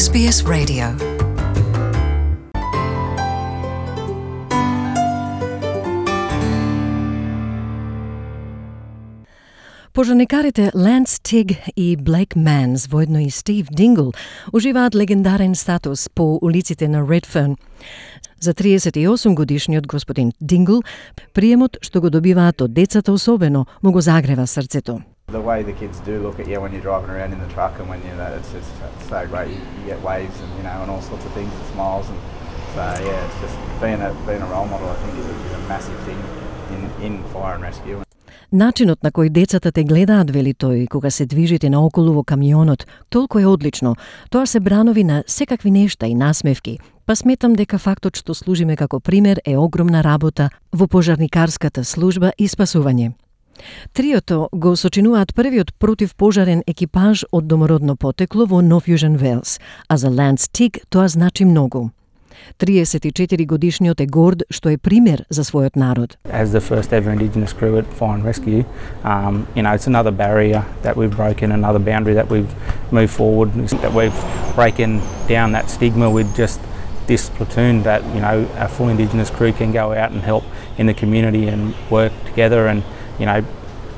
SBS Radio. Пожарникарите Ланс Тиг и Блейк Манс, воедно и Стив Дингл, уживаат легендарен статус по улиците на Редферн. За 38 годишниот господин Дингл, приемот што го добиваат од децата особено, му го загрева срцето. The way the kids do look at you when you're driving around in the truck and when it's just so great. You get waves and all sorts of things and smiles, and so it's just being a role model. I think is a massive thing in fire and rescue. Начинот на кој децата те гледаат, вели тој, кога се движите наоколу во камионот, толку е одлично. Тоа се бранови на секакви нешта и насмевки. Па сметам дека фактот што служиме како пример е огромна работа во пожарникарската служба и спасување. Триото го сочинуваат првиот противпожарен екипаж од домородно потекло во Нов Јужен Велс, а за Ланс Тиг тоа значи многу. 34 годишниот е горд што е пример за својот народ. As the first ever Indigenous crew at Fire and Rescue, it's another barrier that we've broken, another boundary that we've moved forward, that we've broken down that stigma with just this platoon that, a full Indigenous crew can go out and help in the community and work together and,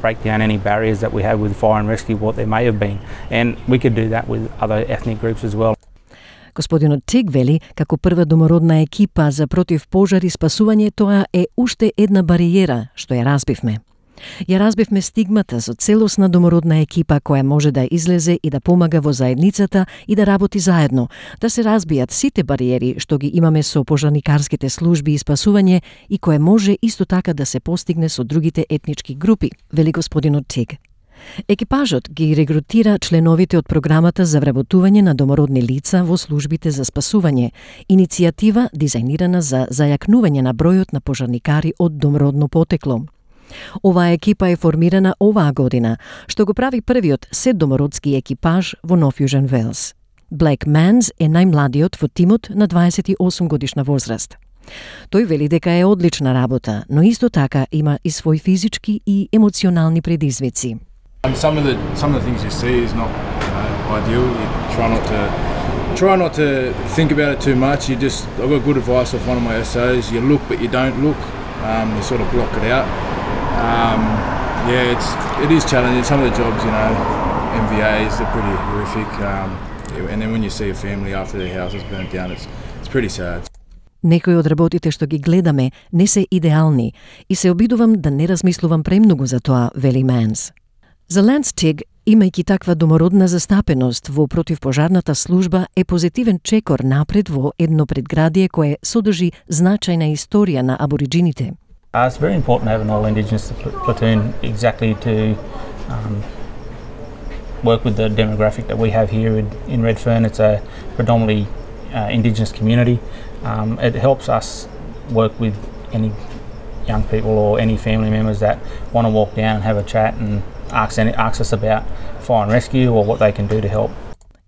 break down any barriers that we have with fire and rescue, what there may have been. And we could do that with other ethnic groups as well. Господинот Тиг вели, како прва домородна екипа за противпожар и спасување, тоа е уште една бариера што ја разбивме. Ја разбивме стигмата со целосна домородна екипа која може да излезе и да помага во заедницата и да работи заедно, да се разбијат сите бариери што ги имаме со пожарникарските служби и спасување и кое може исто така да се постигне со другите етнички групи, вели господинот Тиг. Екипажот ги регрутира членовите од програмата за вработување на домородни лица во службите за спасување, иницијатива дизајнирана за зајакнување на бројот на пожарникари од домородно потекло. Оваа екипа е формирана оваа година, што го прави првиот седомородски екипаж во Нов Јужен Велс. Блейк Манс е најмладиот во тимот на 28 годишна возраст. Тој вели дека е одлична работа, но исто така има и свој физички и емоционални предизвици. Some of the things you see is not ideal. You try not to think about it too much. I got good advice off one of my essays. You look but you don't look. You sort of block it out. It is challenging. Some of the jobs, MVAs, they're pretty horrific. And then when you see a family after their house is burnt down, it's pretty sad. Некои од работите што ги гледаме не се идеални и се обидувам да не размислувам премногу за тоа, вели Манс. За Ланс Тиг, имајќи таква домородна застапеност во противпожарната служба, е позитивен чекор напред во едно предградие кое содржи значајна историја на абориджините. It's very important to have an all Indigenous platoon exactly to work with the demographic that we have here in Redfern. It's a predominantly Indigenous community. It helps us work with any young people or any family members that want to walk down and have a chat and ask us about fire and rescue or what they can do to help.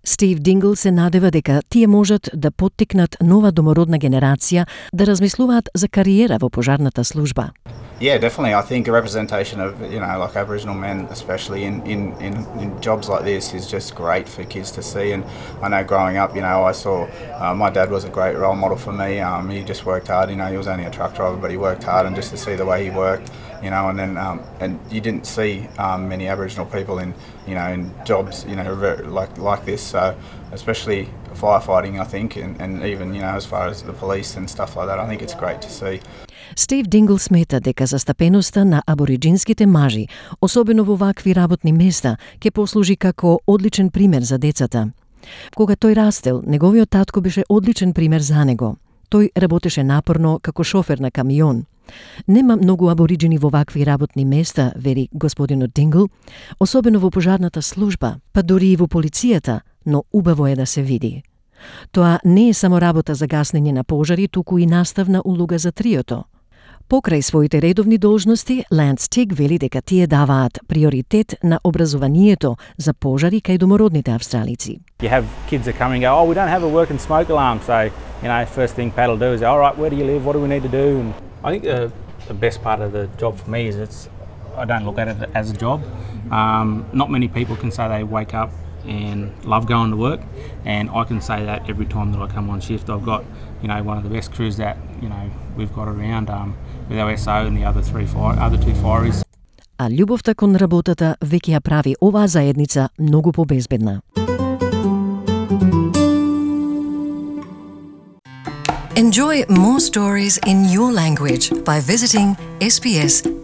Стив Дингл се надева дека тие можат да поттикнат нова домородна генерација да размислуваат за кариера во пожарната служба. Yeah, definitely. I think a representation of, like Aboriginal men, especially in jobs like this, is just great for kids to see. And I know growing up, I saw my dad was a great role model for me. He just worked hard. He was only a truck driver, but he worked hard, and just to see the way he worked, and then and you didn't see many Aboriginal people in jobs, like this. So especially firefighting, I think, and even as far as the police and stuff like that, I think it's great to see. Стив Дингл смета дека застапеноста на абориджинските мажи, особено во вакви работни места, ќе послужи како одличен пример за децата. Кога тој растел, неговиот татко беше одличен пример за него. Тој работеше напорно како шофер на камион. Нема многу абориджини во вакви работни места, вери господинот Дингл, особено во пожарната служба, па дури и во полицијата, но убаво е да се види. Тоа не е само работа за гаснење на пожари, туку и наставна улога за триото. Покрај своите редовни должности, Ланс Тиг вели дека тие даваат приоритет на образованието за пожари кај домородните австралици. You have kids that come and go, we don't have a working smoke alarm, so, first thing Pat will do is, all right, where do you live, what do we need to do? And I think the best part of the job for me is I don't look at it as a job. Not many people can say they wake up and love going to work, and I can say that every time that I come on shift. I've got, you know, one of the best crews that, you know, we've got around with our SO and the other two fireys. А љубовта кон работата веќе ја прави оваа заедница многу побезбедна. Enjoy more stories in your language by visiting sbs.com.au.